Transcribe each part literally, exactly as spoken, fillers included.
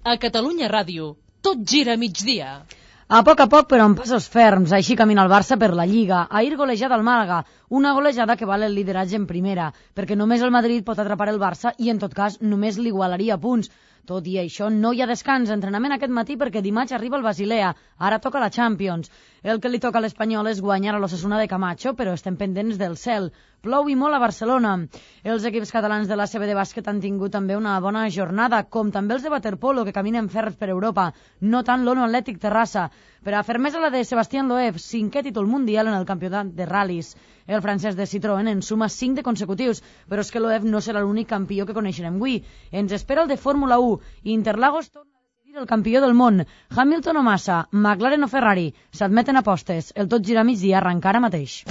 A Catalunya Ràdio, tot gira a migdia. A poc a poc, però amb passos ferms, així camina el Barça per la Lliga. Ahir golejada al Màlaga, una golejada que val el lideratge en primera, perquè només el Madrid pot atrapar el Barça i, en tot cas, només l'igualaria a punts. Tot i això, no hi ha descans, entrenament aquest matí perquè dimarts arriba el Basilea, ara toca la Champions. El que li toca a l'Espanyol és guanyar a l'Osasuna de Camacho, però estem pendents del cel. Plou i molt a Barcelona. Els equips catalans de l'A C B de bàsquet han tingut també una bona jornada, com també els de waterpolo, que caminen ferms per Europa, no tant l'Ono Atlètic Terrassa. Per a fermesa la de Sebastián Loeb, cinquè títol mundial en el campionat de ral·lis. El francès de Citroën en suma cinc de consecutius, però és que Loeb no serà l'únic campió que coneixerem avui. Ens espera el de Fórmula u. Interlagos torna a decidir el campió del món. Hamilton o Massa, McLaren o Ferrari, s'admeten apostes. El tot gira a migdia arrenca ara mateix.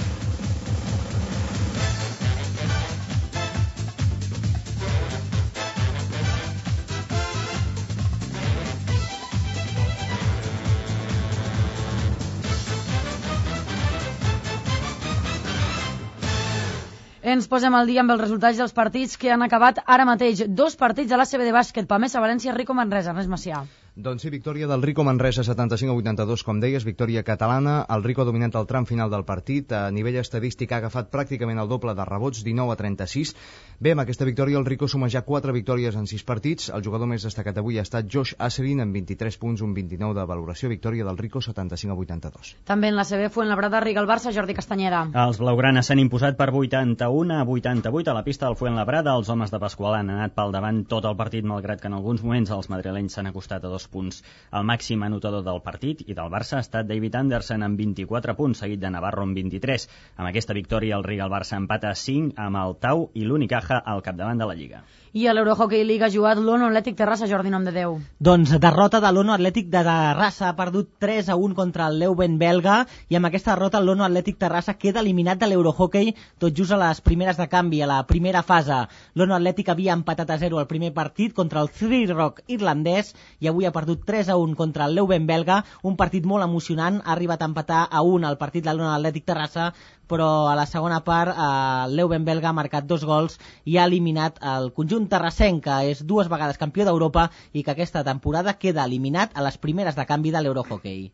Ens posem al dia amb els resultats dels partits que han acabat ara mateix. Dos partits a l'A C B de bàsquet, Pamesa, València, Rico Manresa. Ernest Macià. Doncs sí, victòria del Rico Manresa setanta-cinc a vuitanta-dos, com deies, victòria catalana. El Rico ha dominat el tram final del partit. A nivell estadístic ha agafat pràcticament el doble de rebots, dinou a trenta-sis. Bé, amb aquesta victòria el Rico suma ja quatre victòries en sis partits. El jugador més destacat avui ha estat Josh Asselin amb vint-i-tres punts, un vint-i-nou de valoració. Victòria del Rico setanta-cinc a vuitanta-dos. També en la C B Fuenlabrada, Riga el Barça, Jordi Castanyera. Els blaugranes s'han imposat per vuitanta-u a vuitanta-vuit a la pista del Fuenlabrada. Els homes de Pasqual han anat pel davant tot el partit, malgrat que en alguns moments els madrilenys s'han acostat a dos punts. El màxim anotador del partit i del Barça ha estat David Anderson amb vint-i-quatre punts, seguit de Navarro amb vint-i-tres. Amb aquesta victòria el Riga el Barça empata a cinc amb el Tau i l'Unicaja al capdavant de la Lliga. I a l'Eurohockey League ha jugat l'Ono Atlètic Terrassa, Jordi Nom de Déu. Doncs derrota de l'Ono Atlètic de Terrassa, ha perdut tres a un contra el Leuven belga, i amb aquesta derrota l'Ono Atlètic Terrassa queda eliminat de l'Eurohockey tot just a les primeres de canvi, a la primera fase. L'Ono Atlètic havia empatat a zero el primer partit contra el Three Rock irlandès i avui ha perdut tres a un contra el Leuven belga, un partit molt emocionant. Ha arribat a empatar a un el partit de l'Ono Atlètic Terrassa, però a la segona part el Leuven belga ha marcat dos gols i ha eliminat el conjunt terrassenc, que és dues vegades campió d'Europa i que aquesta temporada queda eliminat a les primeres de canvi de l'Eurohockey.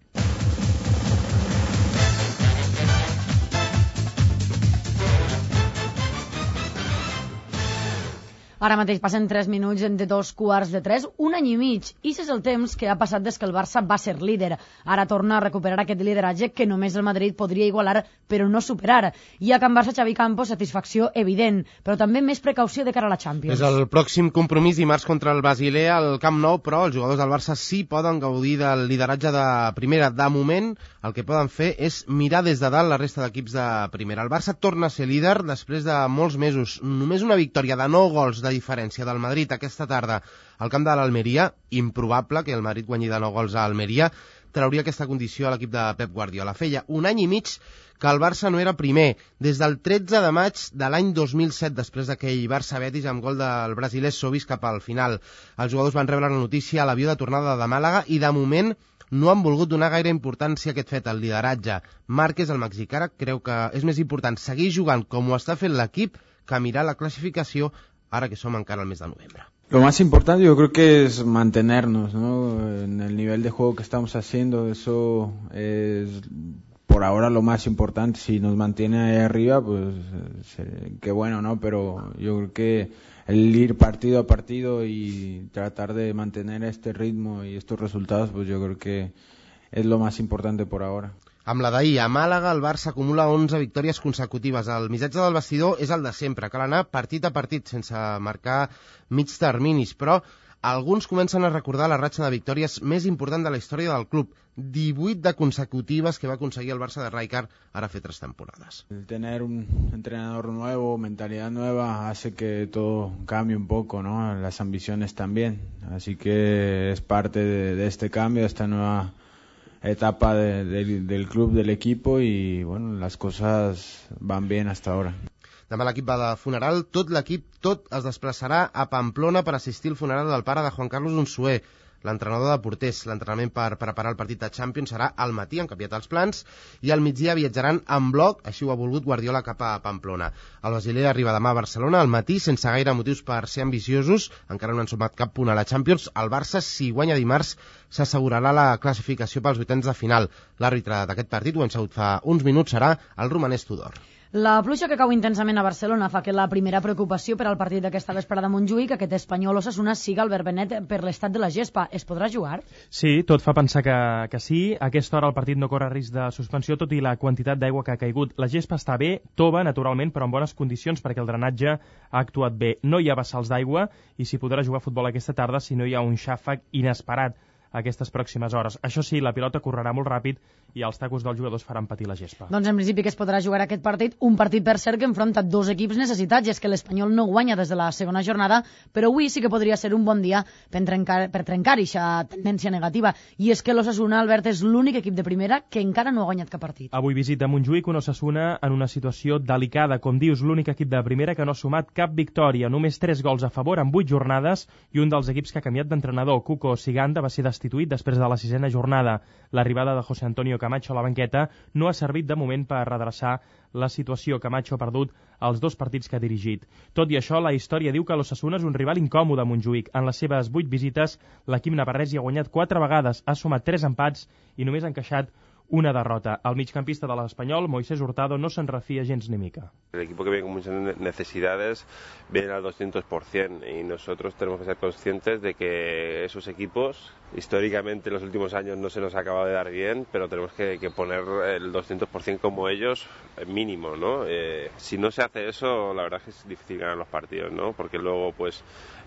Ara mateix passen tres minuts de dos quarts de tres, un any i mig. I és el temps que ha passat des que el Barça va ser líder. Ara torna a recuperar aquest lideratge que només el Madrid podria igualar, però no superar. I a Can Barça, Xavi Campos, satisfacció evident, però també més precaució de cara a la Champions. És el pròxim compromís dimarts contra el Basilea al Camp Nou, però els jugadors del Barça sí poden gaudir del lideratge de primera. De moment, el que poden fer és mirar des de dalt la resta d'equips de primera. El Barça torna a ser líder després de molts mesos. Només una victòria de nou gols de diferència del Madrid aquesta tarda al camp de l'Almeria, improbable que el Madrid guanyi de nou gols a Almeria, trauria aquesta condició a l'equip de Pep Guardiola. Feia un any i mig que el Barça no era primer, des del tretze de maig de l'any dos mil set, després d'aquell Barça-Betis amb gol del brasiler Sobis cap al final. Els jugadors van rebre la notícia a l'avió de tornada de Màlaga i de moment no han volgut donar gaire importància a aquest fet, el lideratge. Márquez, el mexicà, creu que és més important seguir jugant com ho està fent l'equip que mirar la classificació ahora que somos encara al mes de noviembre. Lo más importante yo creo que es mantenernos, ¿no? En el nivel de juego que estamos haciendo. Eso es por ahora lo más importante. Si nos mantiene ahí arriba, pues qué bueno, ¿no? Pero yo creo que el ir partido a partido y tratar de mantener este ritmo y estos resultados, pues yo creo que es lo más importante por ahora. Amb la d'ahir, a Màlaga, el Barça acumula onze victòries consecutives. El missatge del vestidor és el de sempre, cal anar partit a partit, sense marcar mig terminis, però alguns comencen a recordar la ratxa de victòries més important de la història del club, divuit de consecutives que va aconseguir el Barça de Rijkaard ara fer tres temporades. El tener un entrenador nuevo, mentalidad nueva, hace que todo cambie un poco, ¿no? Las ambiciones también, así que es parte de, de este cambio, de esta nueva etapa de, de, del club, del equipo, y bueno, las cosas van bien hasta ahora. Demà l'equip va de funeral, tot l'equip tot es desplaçarà a Pamplona per assistir al funeral del pare de Juan Carlos Unzué. l'entrenador de porters. L'entrenament per preparar el partit de Champions serà al matí, han canviat els plans, i al migdia viatjaran en bloc, així ho ha volgut Guardiola cap a Pamplona. El Basilea arriba demà a Barcelona al matí, sense gaire motius per ser ambiciosos, encara no han sumat cap punt a la Champions. El Barça, si guanya dimarts, s'assegurarà la classificació pels vuitens de final. L'àrbitre d'aquest partit, ho hem sabut fa uns minuts, serà el romanès Tudor. La pluja que cau intensament a Barcelona fa que la primera preocupació per al partit d'aquesta vesprada a Montjuïc, aquest Espanyol Osasuna, siga el verbenet per l'estat de la gespa. Es podrà jugar? Sí, tot fa pensar que, que sí. A aquesta hora el partit no corre risc de suspensió, tot i la quantitat d'aigua que ha caigut. La gespa està bé, tova, naturalment, però en bones condicions perquè el drenatge ha actuat bé. No hi ha vessals d'aigua i s'hi podrà jugar a futbol aquesta tarda si no hi ha un xàfec inesperat aquestes pròximes hores. Això sí, la pilota correrà molt ràpid i els tacos dels jugadors faran patir la gespa. Doncs en principi que es podrà jugar aquest partit, un partit per cert que enfronta dos equips necessitats, i és que l'Espanyol no guanya des de la segona jornada, però avui sí que podria ser un bon dia per trencar, per trencar aquesta tendència negativa, i és que l'Osasuna, Albert, és l'únic equip de primera que encara no ha guanyat cap partit. Avui visita Montjuïc un Osasuna en una situació delicada, com dius, l'únic equip de primera que no ha sumat cap victòria, només tres gols a favor en vuit jornades, i un dels equips que ha canviat d'entrenador, Cuco Siganda, va ser destituït després de la sisena jornada. L'arribada de José Antonio Camacho a la banqueta no ha servit de moment per redreçar la situació. Camacho ha perdut els dos partits que ha dirigit. Tot i això, la història diu que l'Osasuna és un rival incòmode a Montjuïc. En les seves vuit visites, l'equip navarrès hi ha guanyat quatre vegades, ha sumat tres empats i només ha encaixat una derrota. El migcampista de l'Espanyol, Moisés Hurtado, no se'n refia gens ni mica. El equipo que viene con muchas necesidades viene al doscientos por ciento y nosotros tenemos que ser conscientes de que esos equipos históricamente en los últimos años no se nos ha acabado de dar bien, pero tenemos que, que poner el doscientos por ciento como ellos mínimo, ¿no? Eh, si no se hace eso, la verdad es que es difícil ganar los partidos, ¿no? Porque luego pues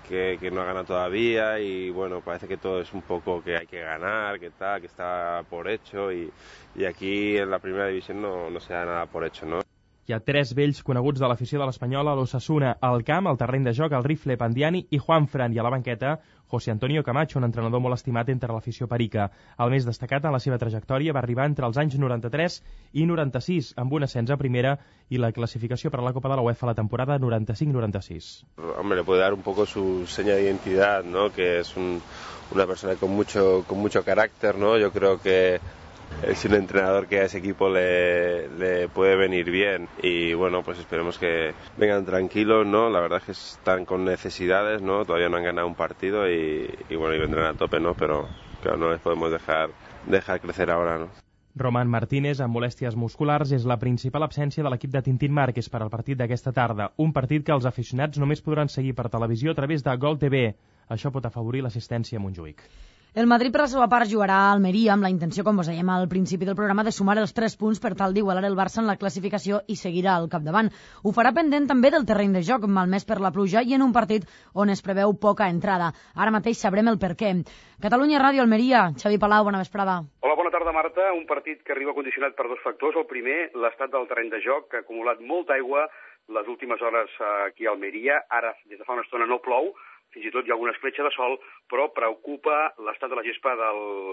que, que no ha ganado todavía y bueno, parece que todo es un poco que hay que ganar, que tal, que está por hecho y, y aquí en la primera división no, no se da nada por hecho, ¿no? Hi ha tres vells coneguts de l'afició de l'Espanyol a l'Osasuna, al camp, al terreny de joc, el Rifle Pandiani i Juanfran, i a la banqueta, José Antonio Camacho, un entrenador molt estimat entre l'afició perica. El més destacat en la seva trajectòria va arribar entre els anys noranta-tres i noranta-sis, amb un ascens a primera i la clasificació per a la Copa de la UEFA la temporada noranta-cinc noranta-sis. Hombre, le puede dar un poco su seña de identidad, ¿no? Que es un, una persona con mucho, con mucho carácter, ¿no? Yo creo que es un entrenador que a ese equipo le, le puede venir bien y bueno, pues esperemos que vengan tranquilos, ¿no? La verdad es que están con necesidades, ¿no? Todavía no han ganado un partido y, y bueno, y vendrán a tope, ¿no? Pero claro, no les podemos dejar, dejar crecer ahora, ¿no? Román Martínez, amb molèsties musculars, és la principal absència de l'equip de Tintín Márquez per al partit d'aquesta tarda. Un partit que els aficionats només podran seguir per televisió a través de Gol T V. Això pot afavorir l'assistència a Montjuïc. El Madrid, per la seva part, jugarà a Almeria amb la intenció, com us dèiem al principi del programa, de sumar els tres punts per tal d'igualar el Barça en la classificació i seguirà al capdavant. Ho farà pendent també del terreny de joc, malmès per la pluja, i en un partit on es preveu poca entrada. Ara mateix sabrem el per què. Catalunya Ràdio, Almeria. Xavi Palau, bona vesprada. Hola, bona tarda, Marta. Un partit que arriba condicionat per dos factors. El primer, l'estat del terreny de joc, que ha acumulat molta aigua les últimes hores aquí a Almeria. Ara, des de fa una estona, no plou. Fins i tot hi ha alguna escletxa de sol, però preocupa l'estat de la gespa de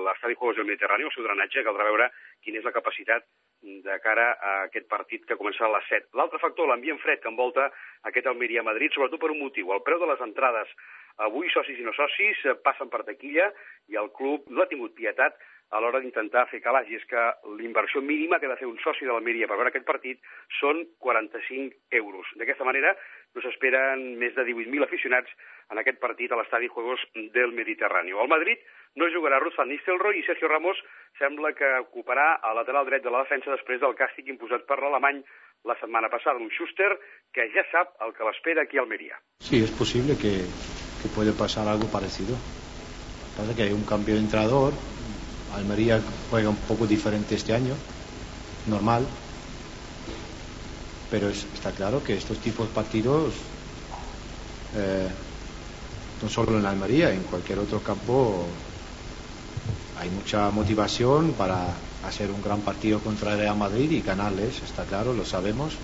l'estadi Juegos del Mediterrani, el seu drenatge. Caldrà veure quina és la capacitat de cara a aquest partit que començarà a les set. L'altre factor, l'ambient fred que envolta aquest Almeria-Madrid, sobretot per un motiu. El preu de les entrades avui, socis i no socis, passen per taquilla i el club no ha tingut pietat a l'hora d'intentar fer calaix. I és que l'inversió mínima que ha de fer un soci de l'Almeria per veure aquest partit són quaranta-cinc euros. D'aquesta manera no s'esperen més de divuit mil aficionats en aquest partit a l'estadi Juegos del Mediterrani. Al Madrid no jugarà Ruud van Nistelrooy i Sergio Ramos sembla que ocuparà el lateral dret de la defensa després del càstig imposat per l'alemany la setmana passada, un Schuster que ja sap el que l'espera aquí a Almeria. Sí, es posible que, que puede pasar algo parecido. Pasa que hay un cambio de entrenador. Almería juega un poco diferente este año, normal, pero es, está claro que estos tipos de partidos, eh, no solo en Almería, en cualquier otro campo, hay mucha motivación para hacer un gran partido contra el Real Madrid y ganarles, está claro, lo sabemos,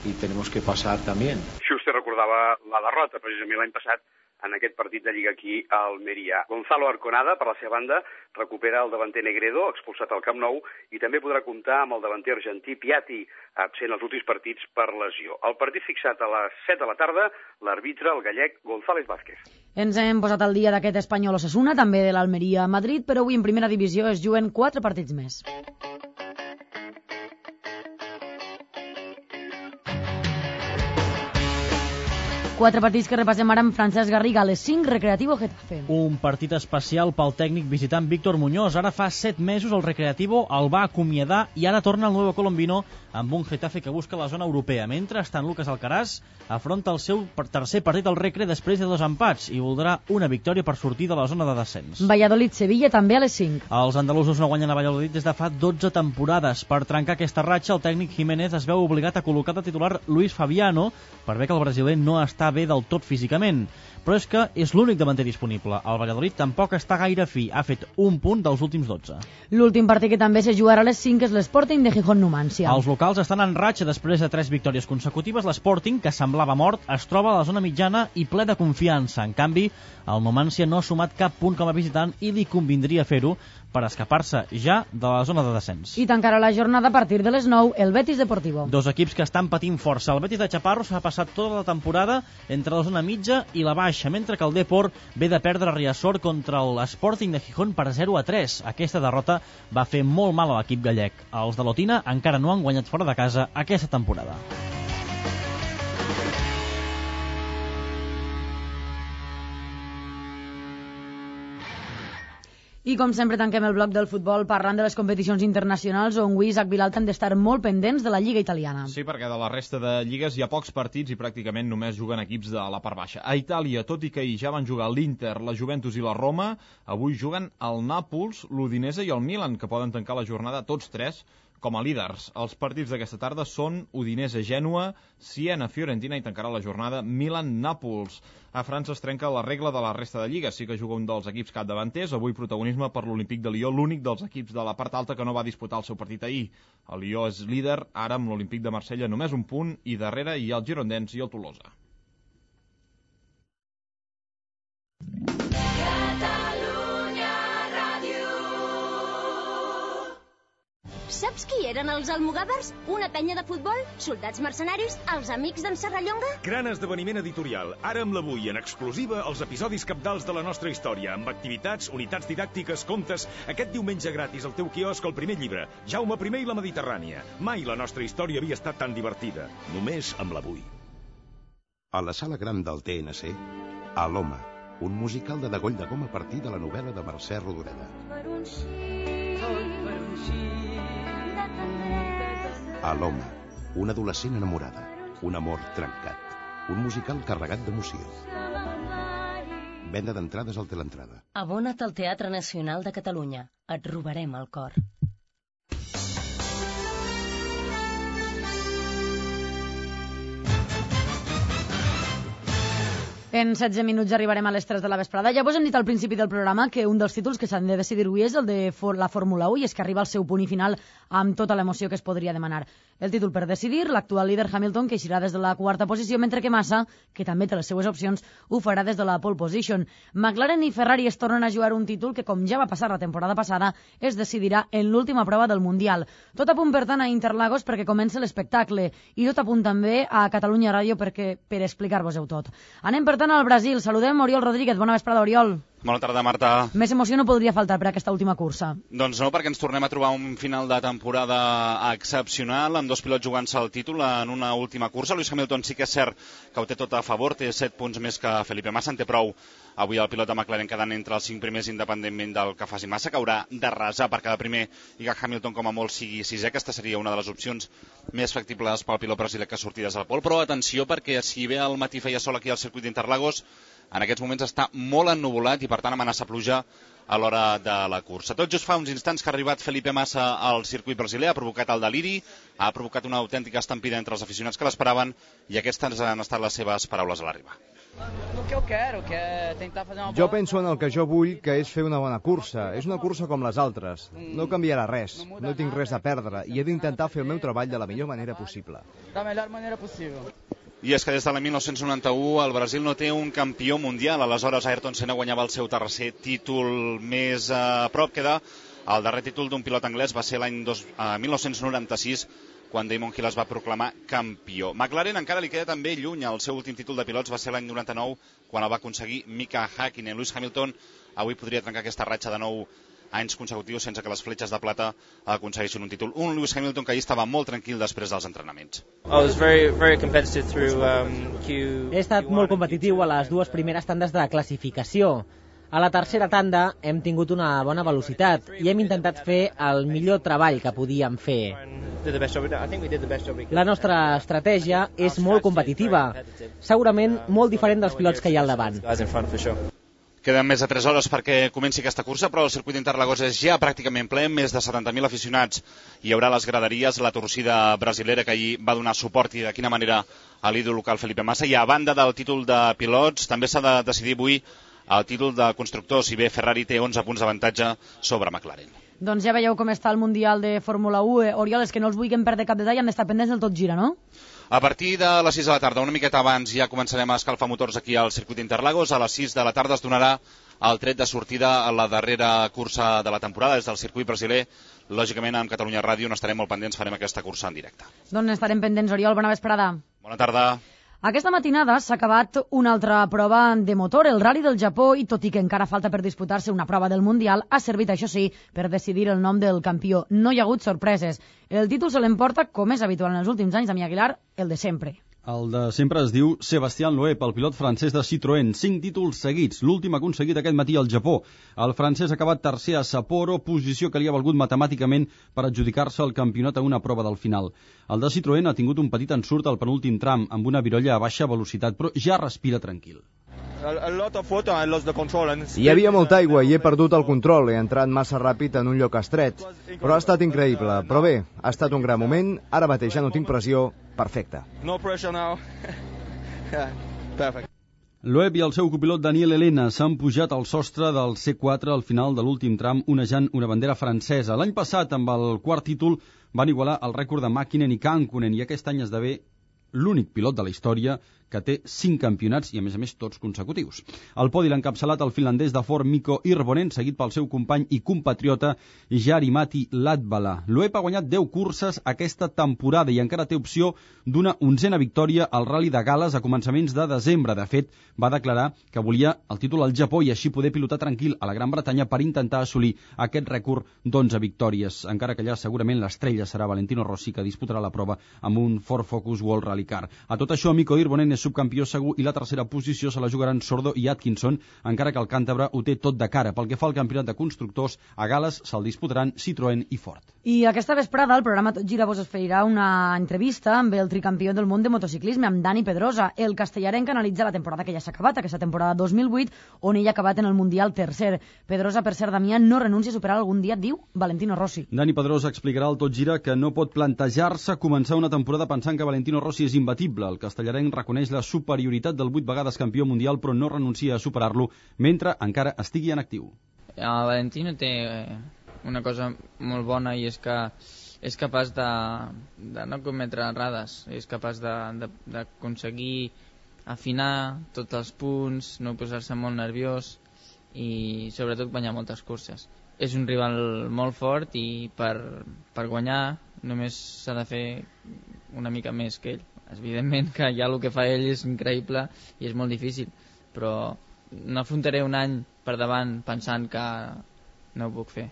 y tenemos que pasar también. Schuster recordava la derrota precisament l'any passat en aquest partit de Lliga aquí a Almeria. Gonzalo Arconada, per la seva banda, recupera el davanter Negredo, expulsat al Camp Nou, i també podrà comptar amb el davanter argentí Piatti, absent els últims partits per lesió. El partit fixat a les set de la tarda, l'arbitre, el gallec González Vázquez. Ens hem posat al dia d'aquest Espanyol Osasuna, també de l'Almeria a Madrid, però avui en primera divisió es juguen quatre partits més. Quatre partits que repassem ara amb Francesc Garriga. A les cinc, Recreativo Getafe. Un partit especial pel tècnic visitant Víctor Muñoz. Ara fa set mesos el Recreativo el va acomiadar i ara torna el Nuevo Colombino amb un Getafe que busca la zona europea. Mentrestant, Lucas Alcaraz afronta el seu tercer partit al Recre després de dos empats i voldrà una victòria per sortir de la zona de descens. Valladolid-Sevilla també a les cinc. Els andalusos no guanyen a Valladolid des de fa dotze temporades. Per trencar aquesta ratxa, el tècnic Jiménez es veu obligat a col·locar de titular Luis Fabiano per bé que el brasiler no està bé del tot físicament, però és que és l'únic davanter disponible. El Valladolid tampoc està gaire fi, ha fet un punt dels últims dotze. L'últim partit que també se jugarà a les cinc és l'Sporting de Gijón-Numància. Els locals estan en ratxa després de tres victòries consecutives. L'Sporting, que semblava mort, es troba a la zona mitjana i ple de confiança. En canvi, el Numància no ha sumat cap punt com a visitant i li convindria fer-ho per escapar-se ja de la zona de descens. I tancarà la jornada a partir de les nou el Betis Deportivo. Dos equips que estan patint força. El Betis de Chaparro s'ha passat tota la temporada entre la zona mitja i la baixa, mentre que el Depor ve de perdre a Riazor contra l'Sporting de Gijón per zero a tres. Aquesta derrota va fer molt mal a l'equip gallec. Els de Lotina encara no han guanyat fora de casa aquesta temporada. I com sempre tanquem el bloc del futbol parlant de les competicions internacionals on avui Isaac Vilalta han d'estar molt pendents de la Lliga italiana. Sí, perquè de la resta de lligues hi ha pocs partits i pràcticament només juguen equips de la part baixa. A Itàlia, tot i que hi ja van jugar l'Inter, la Juventus i la Roma, avui juguen el Nàpols, l'Udinese i el Milan, que poden tancar la jornada tots tres com a líders. Els partits d'aquesta tarda són Udinese-Gènua, Siena-Fiorentina i tancarà la jornada Milan-Nàpols. A França es trenca la regla de la resta de lligues. Sí que juga un dels equips capdavanters, avui protagonisme per l'Olímpic de Lió, l'únic dels equips de la part alta que no va disputar el seu partit ahir. El Lió és líder, ara amb l'Olímpic de Marsella només un punt, i darrere hi ha el Girondins i el Tolosa. Saps qui eren els almogàvers? Una penya de futbol? Soldats mercenaris? Els amics d'en Serrallonga? Gran esdeveniment editorial. Ara amb l'Avui, en exclusiva, els episodis cabdals de la nostra història, amb activitats, unitats didàctiques, contes. Aquest diumenge gratis al teu quiosc el primer llibre, Jaume primer i la Mediterrània. Mai la nostra història havia estat tan divertida. Només amb l'Avui. A la sala gran del T N C, a l'Home, un musical de Degoll de Gom a partir de la novel·la de Mercè Rodoreda. Per un sí, tot per un sí. A l'Home, una adolescent enamorada, un amor trencat, un musical carregat d'emoció. Venda d'entrades al Teleentrada. Abona't al Teatre Nacional de Catalunya. Et robarem el cor. En setze minuts arribarem a les tres de la vesprada. Ja vos hem dit al principi del programa que un dels títols que s'han de decidir avui és el de la Fórmula u, i és que arriba al seu punt i final amb tota l'emoció que es podria demanar. El títol per decidir, l'actual líder Hamilton, que eixirà des de la quarta posició, mentre que Massa, que també té les seues opcions, ho farà des de la pole position. McLaren i Ferrari es tornen a jugar un títol que, com ja va passar la temporada passada, es decidirà en l'última prova del Mundial. Tot a punt, per tant, a Interlagos perquè comença l'espectacle, i tot a punt també a Catalunya Ràdio perquè per explicar-vos-ho tot. Anem, per tant, al Brasil. Saludem Oriol Rodríguez. Bona vesprada, Oriol. Bona tarda, Marta. Més emoció no podria faltar per aquesta última cursa. Doncs no, perquè ens tornem a trobar un final de temporada excepcional, amb dos pilots jugant-se el títol en una última cursa. Lewis Hamilton sí que és cert que ho té tot a favor, té set punts més que Felipe Massa, en té prou avui el pilot de McLaren quedant entre els cinc primers independentment del que faci Massa, que haurà de resar per cada primer i que Hamilton com a molt sigui sisè. Aquesta seria una de les opcions més factibles pel pilot brasiler que sortides al pol, però atenció, perquè si bé al matí feia sol aquí al circuit d'Interlagos, en aquests moments està molt ennuvolat i per tant amenaça pluja a l'hora de la cursa. Tot just fa uns instants que ha arribat Felipe Massa al circuit brasiler, ha provocat el deliri, ha provocat una autèntica estampida entre els aficionats que l'esperaven, i aquestes han estat les seves paraules a l'arribar. Jo penso en el que jo vull, que és fer una bona cursa. És una cursa com les altres. No canviarà res, no tinc res a perdre i he d'intentar fer el meu treball de la millor manera possible. La millor manera possible. I és que des de l'any mil nou-cents noranta-u el Brasil no té un campió mundial. Aleshores Ayrton Senna guanyava el seu tercer títol. Més a prop queda el darrer títol d'un pilot anglès, va ser l'any mil nou-cents noranta-sis, quan Damon Hill es va proclamar campió. McLaren encara li queda també lluny. El seu últim títol de pilots va ser l'any noranta-nou, quan el va aconseguir Mika Häkkinen. Lewis Hamilton avui podria trencar aquesta ratxa de nou anys consecutius sense que les fletxes de plata aconseguissin un títol. Un Lewis Hamilton que ahir estava molt tranquil després dels entrenaments. He estat molt competitiu a les dues primeres tandes de classificació. A la tercera tanda hem tingut una bona velocitat i hem intentat fer el millor treball que podíem fer. La nostra estratègia és molt competitiva, segurament molt diferent dels pilots que hi ha al davant. Queden més de tres hores perquè comenci aquesta cursa, però el circuit d'Interlagos és ja pràcticament ple, més de setanta mil aficionats. Hi haurà les graderies, la torcida brasilera que ahir va donar suport i de quina manera a l'ídol local Felipe Massa. I a banda del títol de pilots, també s'ha de decidir avui el títol de constructor, si bé Ferrari té onze punts d'avantatge sobre McLaren. Doncs ja veieu com està el Mundial de Fórmula u. Oriol, és que no els vulguem perdre cap detall, han d'estar pendents del Tot Gira, no? A partir de les sis de la tarda, una miqueta abans, ja començarem a escalfar motors aquí al circuit d'Interlagos. A les sis de la tarda es donarà el tret de sortida a la darrera cursa de la temporada des del circuit brasiler. Lògicament, amb Catalunya Ràdio n'estarem molt pendents, farem aquesta cursa en directe. Doncs estarem pendents, Oriol. Bona vesprada. Bona tarda. Aquesta matinada s'ha acabat una altra prova de motor, el Rally del Japó, i tot i que encara falta per disputar-se una prova del Mundial, ha servit, això sí, per decidir el nom del campió. No hi ha hagut sorpreses. El títol se l'emporta, com és habitual en els últims anys, Damià Aguilar, el de sempre. El de sempre es diu Sébastien Loeb, el pilot francès de Citroën. Cinc títols seguits, l'últim aconseguit aquest matí al Japó. El francès ha acabat tercer a Sapporo, posició que li ha valgut matemàticament per adjudicar-se el campionat a una prova del final. El de Citroën ha tingut un petit ensurt al penúltim tram, amb una virolla a baixa velocitat, però ja respira tranquil. Hi havia molta aigua i he perdut el control, he entrat massa ràpid en un lloc estret, però ha estat increïble. Però bé, ha estat un gran moment, ara mateix ja no tinc pressió, perfecte. No pressure now. Perfect. Loeb i el seu copilot Daniel Elena s'han pujat al sostre del C quatre al final de l'últim tram, onejant una bandera francesa. L'any passat, amb el quart títol, van igualar el rècord de Mäkinen i Kankkunen, i aquest any esdevé l'únic pilot de la història que té cinc campionats i, a més a més, tots consecutius. El podi l'ha encapçalat el finlandès de Ford Mikko Hirvonen, seguit pel seu company i compatriota Jari-Matti Latvala. Loeb ha guanyat deu curses aquesta temporada i encara té opció d'una onzena victòria al Rally de Gal·les a començaments de desembre. De fet, va declarar que volia el títol al Japó i així poder pilotar tranquil a la Gran Bretanya per intentar assolir aquest rècord d'onze victòries, encara que allà segurament l'estrella serà Valentino Rossi, que disputarà la prova amb un Ford Focus World Rally Car. A tot això, Mikko Hirvonen és subcampió segur i la tercera posició se la jugaran Sordo i Atkinson, encara que el càntabre ho té tot de cara. Pel que fa al campionat de constructors, a Gal·les se'l disputaran Citroën i Ford. I aquesta vesprada el programa Tot Gira vos oferirà una entrevista amb el tricampió del món de motociclisme, amb Dani Pedrosa, el castellarenc, analitza la temporada que ja s'ha acabat, aquesta temporada dos mil vuit, on ell ha acabat en el Mundial tercer. Pedrosa, per cert, Damià, no renuncia a superar algun dia, diu Valentino Rossi. Dani Pedrosa explicarà al Tot Gira que no pot plantejar-se començar una temporada pensant que Valentino Rossi és imbatible. El castellarenc reconeix la superioritat del vuit vegades campió mundial, però no renuncia a superar-lo mentre encara estigui en actiu. El Valentino té una cosa molt bona i és que és capaç de, de no cometre errades, és capaç d'aconseguir afinar tots els punts, no posar-se molt nerviós i sobretot guanyar moltes curses. És un rival molt fort i per, per guanyar només s'ha de fer una mica més que ell. Evidentment que ja el que fa ell és increïble i és molt difícil, però no afrontaré un any per davant pensant que no ho puc fer.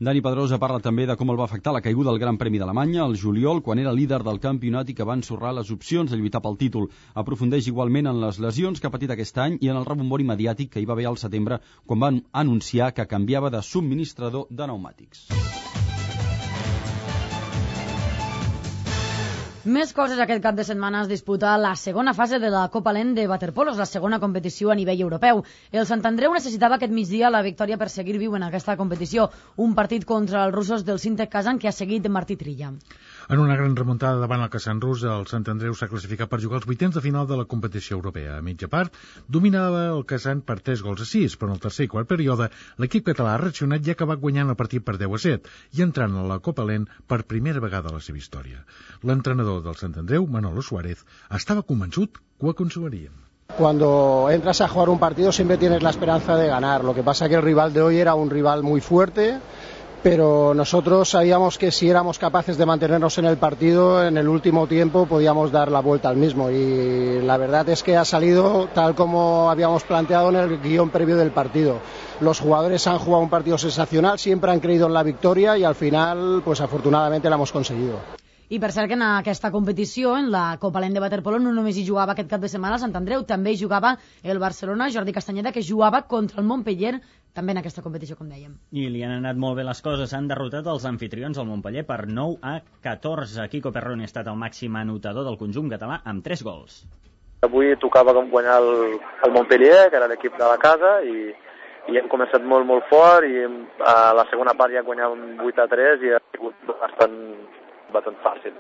Dani Pedrosa parla també de com el va afectar la caiguda del Gran Premi d'Alemanya al juliol, quan era líder del campionat i que va ensorrar les opcions de lluitar pel títol. Aprofundeix igualment en les lesions que ha patit aquest any i en el rebombori mediàtic que hi va haver al setembre, quan van anunciar que canviava de subministrador de pneumàtics. Més coses. Aquest cap de setmana es disputa la segona fase de la Copa Lent de waterpolos, la segona competició a nivell europeu. El Sant Andreu necessitava aquest migdia la victòria per seguir viu en aquesta competició, un partit contra els russos del Sintec Kazan que ha seguit Martí Trilla. En una gran remuntada davant el Caçant Rus, el Sant Andreu s'ha classificat per jugar els vuitens de final de la competició europea. A mitja part, dominava el Caçant per tres gols a sis, però en el tercer i quart període l'equip català ha reaccionat i ha acabat guanyant el partit per deu a set i entrant a la Copa Lent per primera vegada a la seva història. L'entrenador del Sant Andreu, Manolo Suárez, estava convençut que ho aconseguirien. Cuando entras a jugar un partido siempre tienes la esperanza de ganar. Lo que pasa que el rival de hoy era un rival muy fuerte, pero nosotros sabíamos que si éramos capaces de mantenernos en el partido, en el último tiempo podíamos dar la vuelta al mismo. Y la verdad es que ha salido tal como habíamos planteado en el guión previo del partido. Los jugadores han jugado un partido sensacional, siempre han creído en la victoria y al final, pues afortunadamente la hemos conseguido. I per cert que en aquesta competició, en la Copa Lent de Waterpolo, no només hi jugava aquest cap de setmana el Sant Andreu, també hi jugava el Barcelona, Jordi Castanyeda, que jugava contra el Montpellier, també en aquesta competició, com dèiem. I li han anat molt bé les coses, han derrotat els anfitrions al Montpellier per nou a catorze. Quico Perroni ha estat el màxim anotador del conjunt català amb tres gols. Avui tocava guanyar el, el Montpellier, que era l'equip de la casa, i, i hem començat molt, molt fort, i a la segona part ja guanyàvem vuit a tres i ha sigut bastant bastant fàcil.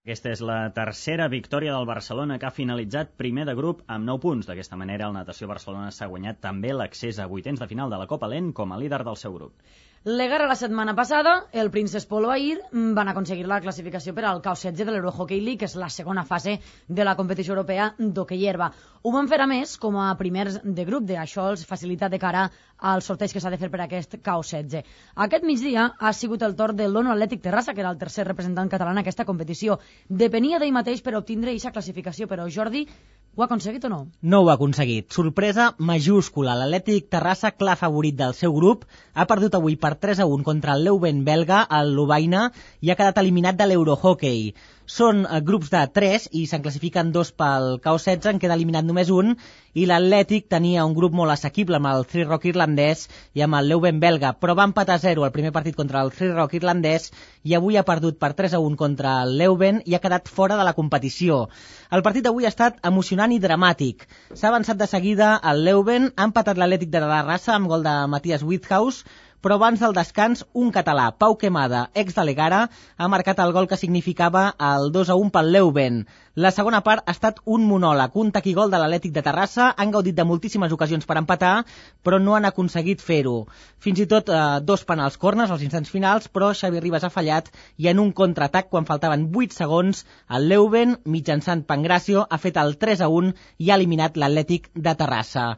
Aquesta és la tercera victòria del Barcelona, que ha finalitzat primer de grup amb nou punts. D'aquesta manera, el Natació Barcelona s'ha guanyat també l'accés a vuitens de final de la Copa Lent com a líder del seu grup. L'Egar la setmana passada, el Princess Polo ahir van aconseguir la classificació per al K O setze de l'Eurohockey League, que és la segona fase de la competició europea d'hoquei herba. Ho van fer a més com a primers de grup, de això els facilita de cara al sorteig que s'ha de fer per aquest K O setze. Aquest migdia ha sigut el torn del Lono Atlètic Terrassa, que era el tercer representant català en aquesta competició. Depenia d'ell mateix per obtindre aquesta classificació, però Jordi, ho ha aconseguit o no? No ho ha aconseguit. Sorpresa majúscula. L'Atlètic Terrassa, clar favorit del seu grup, ha perdut avui per tres a un contra el Leuven belga, el Lovaina, i ha quedat eliminat de l'Eurohockey. Són eh, grups de tres i se'n classifiquen dos pel K O setze, en queda eliminat només un, i l'Atlètic tenia un grup molt assequible amb el Three Rock irlandès i amb el Leuven belga, però va empatar a zero el primer partit contra el Three Rock irlandès i avui ha perdut per tres a un contra el Leuven i ha quedat fora de la competició. El partit d'avui ha estat emocionant i dramàtic. S'ha avançat de seguida al Leuven, ha empatat l'Atlètic de la Rassa amb gol de Matías Whithouse, però abans del descans, un català, Pau Quemada, ex de l'Egara, ha marcat el gol que significava el dos a un pel Leuven. La segona part ha estat un monòleg, un taquigol de l'Atlètic de Terrassa, han gaudit de moltíssimes ocasions per empatar, però no han aconseguit fer-ho. Fins i tot eh, dos penals corners als instants finals, però Xavi Ribas ha fallat i en un contraatac, quan faltaven vuit segons, el Leuven, mitjançant Pangracio, ha fet el tres a un i ha eliminat l'Atlètic de Terrassa.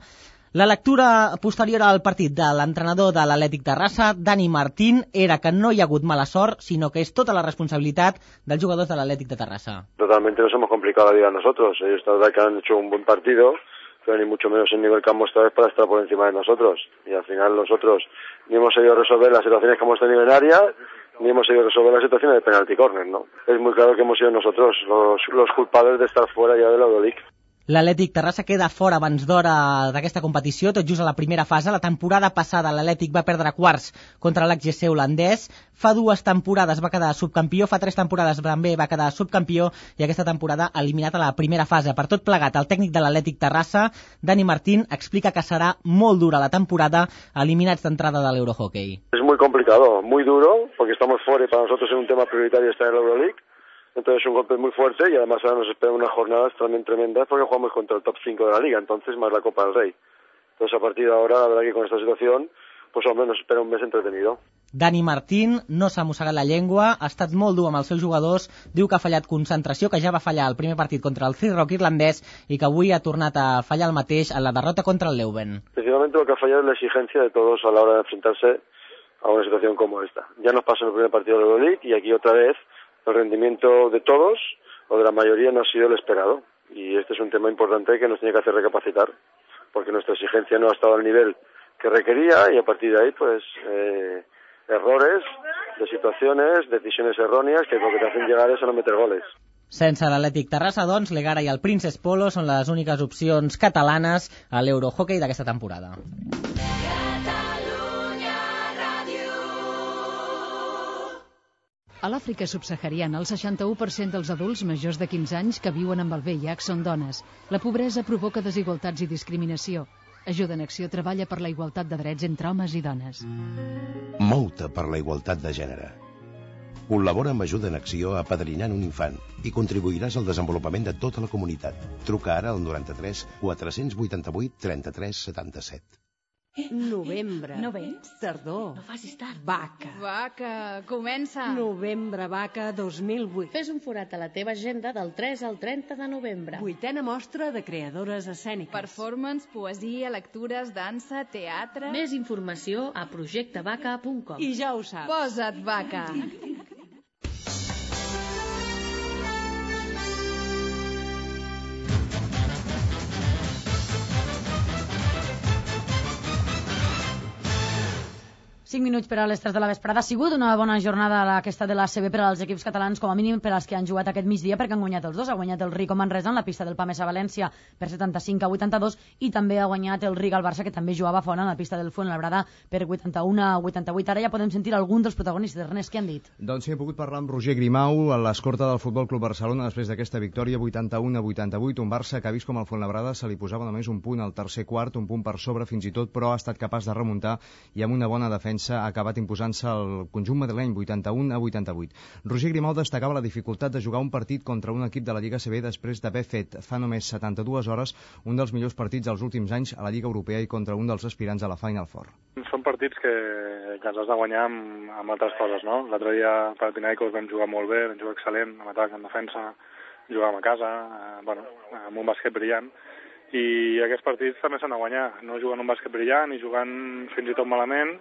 La lectura posterior al partit de l'entrenador de l'Atlètic Terrassa, Dani Martín, era que no hi ha hagut mala sort, sinó que és tota la responsabilitat dels jugadors de l'Atlètic de Terrassa. Totalmente nos hemos complicado la vida a nosotros. Ellos la verdad que han hecho un buen partido, pero ni mucho menos el nivel que han mostrado es para estar por encima de nosotros. Y al final nosotros ni hemos sabido resolver las situaciones que hemos tenido en área, ni hemos sabido resolver las situaciones de penalti corner, ¿no? Es muy claro que hemos sido nosotros los, los culpables de estar fuera ya de la Euroleague. L'Atlètic Terrassa queda fora abans d'hora d'aquesta competició, tot just a la primera fase. La temporada passada l'Atlètic va perdre quarts contra l'H G C holandès. Fa dues temporades va quedar subcampió, fa tres temporades també va quedar subcampió i aquesta temporada eliminat a la primera fase. Per tot plegat, el tècnic de l'Atlètic Terrassa, Dani Martín, explica que serà molt dura la temporada, eliminats d'entrada de l'Eurohockey. Es muy complicado, muy duro, porque estamos fuera y para nosotros es un tema prioritario estar en la Euroleague. Entonces es un golpe muy fuerte y además ahora nos esperan unas jornadas también tremendas porque jugamos contra el top cinco de la liga, entonces más la Copa del Rey. Entonces a partir de ahora, la verdad que con esta situación, pues hombre, nos espera un mes entretenido. Dani Martín no s'ha mossegat la llengua, ha estat molt dur amb els seus jugadors, diu que ha fallat concentració, que ja va fallar el primer partit contra el Three Rock irlandès i que avui ha tornat a fallar el mateix en la derrota contra el Leuven. Principalmente lo que ha fallado es la exigencia de todos a la hora de enfrentarse a una situación como esta. Ya nos pasó en el primer partido de la Euroleague y aquí otra vez el rendimiento de todos o de la mayoría no ha sido el esperado y este es un tema importante que nos tiene que hacer recapacitar porque nuestra exigencia no ha estado al nivel que requería y a partir de ahí pues eh, errores de situaciones, decisiones erróneas que lo que te hacen llegar es a no meter goles. Sense l'Atlètic Terrassa, doncs, l'Egara i el Princess Polo són les úniques opcions catalanes a l'Eurohockey d'aquesta temporada. A l'Àfrica subsahariana, el seixanta-u per cent dels adults majors de quinze anys que viuen amb el V I H són dones. La pobresa provoca desigualtats i discriminació. Ajuda en Acció treballa per la igualtat de drets entre homes i dones. Mou-te per la igualtat de gènere. Col·labora amb Ajuda en Acció apadrinant un infant i contribuiràs al desenvolupament de tota la comunitat. Truca ara al noranta-tres quatre-cents vuitanta-vuit trenta-tres setanta-set. Novembre. No vens? Tardor. No facis tard. Vaca. Vaca, comença. Novembre Vaca dos mil vuit. Fes un forat a la teva agenda del tres al trenta de novembre. Vuitena mostra de creadores escèniques. Performance, poesia, lectures, dansa, teatre... Més informació a projecte vaca punt com. I ja ho saps. Posa't vaca. cinc minuts per a les tres de la vesprada. Ha sigut una bona jornada aquesta de l'A C B per als equips catalans, com a mínim per als que han jugat aquest migdia, perquè han guanyat els dos. Ha guanyat el Rico Manresa en la pista del Pamesa València per setanta-cinc a vuitanta-dos i també ha guanyat el Riga al Barça, que també jugava fora en la pista del Fuenlabrada per vuitanta-un a vuitanta-vuit. Ara ja podem sentir algun dels protagonistes. Ernest, què han dit? Doncs sí, he pogut parlar amb Roger Grimau, a l'escorta del Futbol Club Barcelona, després d'aquesta victòria vuitanta-un a vuitanta-vuit. Un Barça que ha vist com el Fuenlabrada se li posava només un punt al tercer quart, un punt per sobre fins i tot, però ha estat capaç de remuntar i amb una bona defensa ha acabat imposant el conjunt madrileny vuitanta-un a vuitanta-vuit. Roger Grimau destacava la dificultat de jugar un partit contra un equip de la Lliga A C B després d'haver fet fa només setanta-dues hores un dels millors partits dels últims anys a la Lliga Europea i contra un dels aspirants a la Final Four. Són partits que, que ens has de guanyar amb, amb altres coses, no? L'altre dia per Pinaicos vam jugar molt bé, vam jugar excel·lent, en atac, en defensa, jugàvem a casa, eh, bueno, amb un bàsquet brillant, i aquests partits també s'han de guanyar, no jugant un bàsquet brillant i jugant fins i tot malament,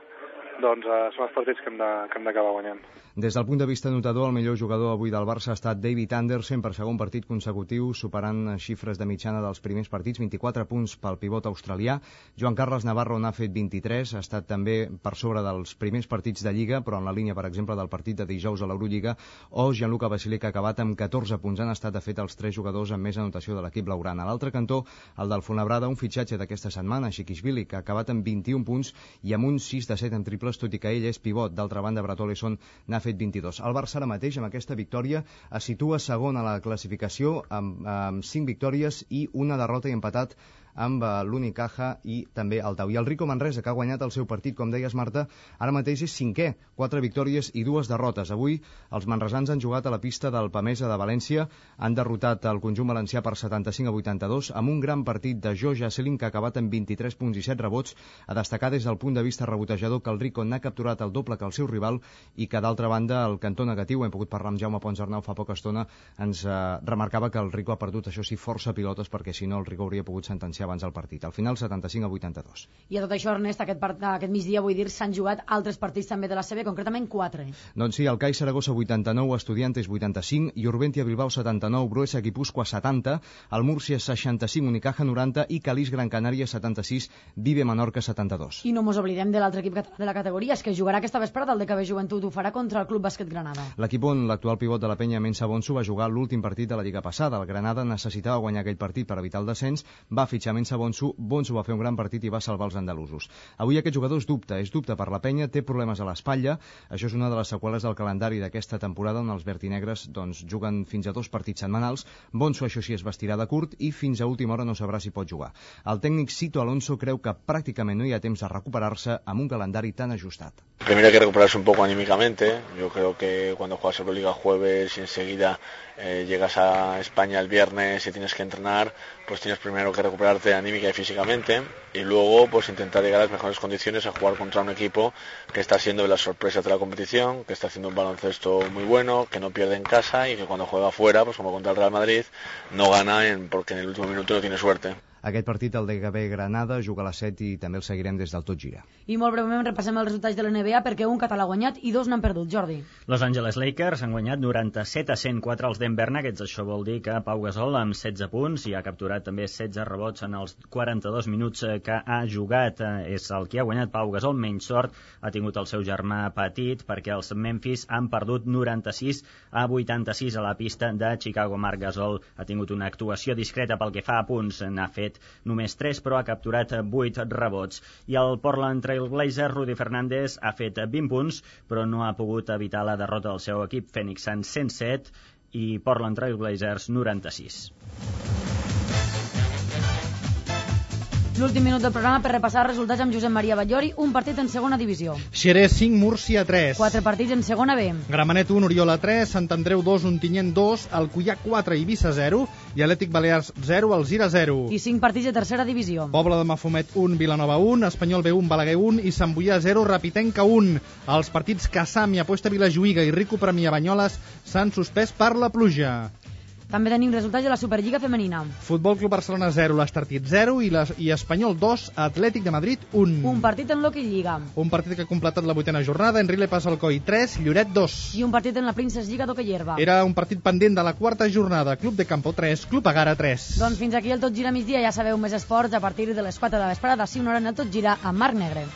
doncs eh, són els partits que hem de, que hem d'acabar guanyant. Des del punt de vista notador, el millor jugador avui del Barça ha estat David Andersen per segon partit consecutiu, superant xifres de mitjana dels primers partits, vint-i-quatre punts pel pivot australià. Joan Carles Navarro n'ha fet vint-i-tres, ha estat també per sobre dels primers partits de Lliga, però en la línia, per exemple, del partit de dijous a l'Eurolliga, o Gianluca Basile, que ha acabat amb catorze punts. Han estat, de fet, els tres jugadors amb més anotació de l'equip blaugrana. A l'altre cantó, el del Fuenlabrada, un fitxatge d'aquesta setmana, Shikishvili, que ha acabat amb vint-i-un punts i amb un sis de set en triples, tot i que ell és pivot. D'altra banda, Brad Oleson n'ha fet vint-i-dos. El Barça ara mateix, amb aquesta victòria, es situa segon a la classificació amb, amb cinc victòries i una derrota i empatat amb l'Unicaja i també el Tau. I el Rico Manresa, que ha guanyat el seu partit, com deies, Marta, ara mateix és cinquè, quatre victòries i dues derrotes. Avui els manresans han jugat a la pista del Pamesa de València, han derrotat el conjunt valencià per setanta-cinc a vuitanta-dos, amb un gran partit de Joe Jasselin, que ha acabat amb vint-i-tres punts i set rebots, a destacar des del punt de vista rebotejador que el Rico n'ha capturat el doble que el seu rival i que, d'altra banda, el cantó negatiu, hem pogut parlar amb Jaume Ponsarnau fa poca estona, ens eh, remarcava que el Rico ha perdut, això sí, força pilotes, perquè si no el Rico hauria pogut sentenciar abans el partit. Al final, setanta-cinc a vuitanta-dos. I a tot això, Ernest, aquest, part, aquest migdia, vull dir, s'han jugat altres partits també de la C B, concretament quatre. Doncs sí, el CAI Saragossa vuitanta-nou, Estudiantes vuitanta-cinc, Iurbentia Bilbao setanta-nou, Bruesa Guipúscoa setanta, el Múrcia seixanta-cinc, Unicaja noranta i Calís Gran Canària setanta-sis, Vive Menorca setanta-dos. I no mos oblidem de l'altre equip català de la categoria, és que jugarà aquesta vesprada el D K B Joventut, ho farà contra el Club Bàsquet Granada. L'equip on l'actual pivot de la penya, Mensa Bonsu, va jugar l'últim partit de la Lliga passada. El Granada necessitava guanyar aquell partit per evitar el descens, va fitxar Mensa Bonsu, Bonsu va fer un gran partit i va salvar els andalusos. Avui aquest jugador és dubte, és dubte per la penya, té problemes a l'espatlla, això és una de les seqüeles del calendari d'aquesta temporada on els vertinegres doncs, juguen fins a dos partits setmanals. Bonsu, això sí, es vestirà de curt i fins a última hora no sabrà si pot jugar. El tècnic Sito Alonso creu que pràcticament no hi ha temps de recuperar-se amb un calendari tan ajustat. Primero hay que recuperarse un poco anímicamente. Yo creo que cuando juegas Euroliga jueves y enseguida eh, llegas a España el viernes y tienes que entrenar, pues tienes primero que recuperarte anímica y físicamente y luego pues intentar llegar a las mejores condiciones a jugar contra un equipo que está siendo de las sorpresas de la competición, que está haciendo un baloncesto muy bueno, que no pierde en casa y que cuando juega fuera, pues como contra el Real Madrid, no gana en, porque en el último minuto no tiene suerte. Aquest partit, el D K B Granada, juga a les set i també el seguirem des del Tot Gira. I molt breument repassem els resultats de l'N B A perquè un català ha guanyat i dos n'han perdut. Jordi. Los Angeles Lakers han guanyat noranta-set a cent quatre als Denver Nuggets. Això vol dir que Pau Gasol amb setze punts i ha capturat també setze rebots en els quaranta-dos minuts que ha jugat. És el que ha guanyat Pau Gasol. Menys sort ha tingut el seu germà petit perquè els Memphis han perdut noranta-sis a vuitanta-sis a la pista de Chicago. Marc Gasol ha tingut una actuació discreta pel que fa a punts. N'ha fet només tres, però ha capturat vuit rebots. I el Portland Trail Blazers, Rudy Fernández, ha fet vint punts, però no ha pogut evitar la derrota del seu equip Phoenix Suns cent set i Portland Trail Blazers noranta-sis. L'últim minut del programa per repassar els resultats amb Josep Maria Batllori, un partit en segona divisió. Xerès cinc, Múrcia tres. Quatre partits en segona B. Gramenet un, Oriola tres, Sant Andreu dos, Ontinyent dos, Alcoià quatre, Eivissa zero i Atlètic Balears zero, Alzira zero. I cinc partits de tercera divisió. Pobla de Mafumet un, Vilanova un, Espanyol B un, Balaguer un i Sant Boià zero, Rapitenca un. Els partits Cassam i Apuesta Vilajuïga i Rico Premià Banyoles s'han suspès per la pluja. També tenim resultats de la Superliga femenina. Futbol Club Barcelona zero, l'Estartit zero i, les, i Espanyol dos, Atlètic de Madrid un. Un partit en l'Hockey Lliga. Un partit que ha completat la vuitena jornada, Enrile passa Alcoi tres, Lloret dos. I un partit en la Princess Lliga d'Hockey Herba. Era un partit pendent de la quarta jornada, Club de Campo tres, Club Agara tres. Doncs fins aquí el Tot Gira migdia, ja sabeu, més esports a partir de les quatre de la vesprada, d'ací una hora en el Tot Gira amb Marc Negre.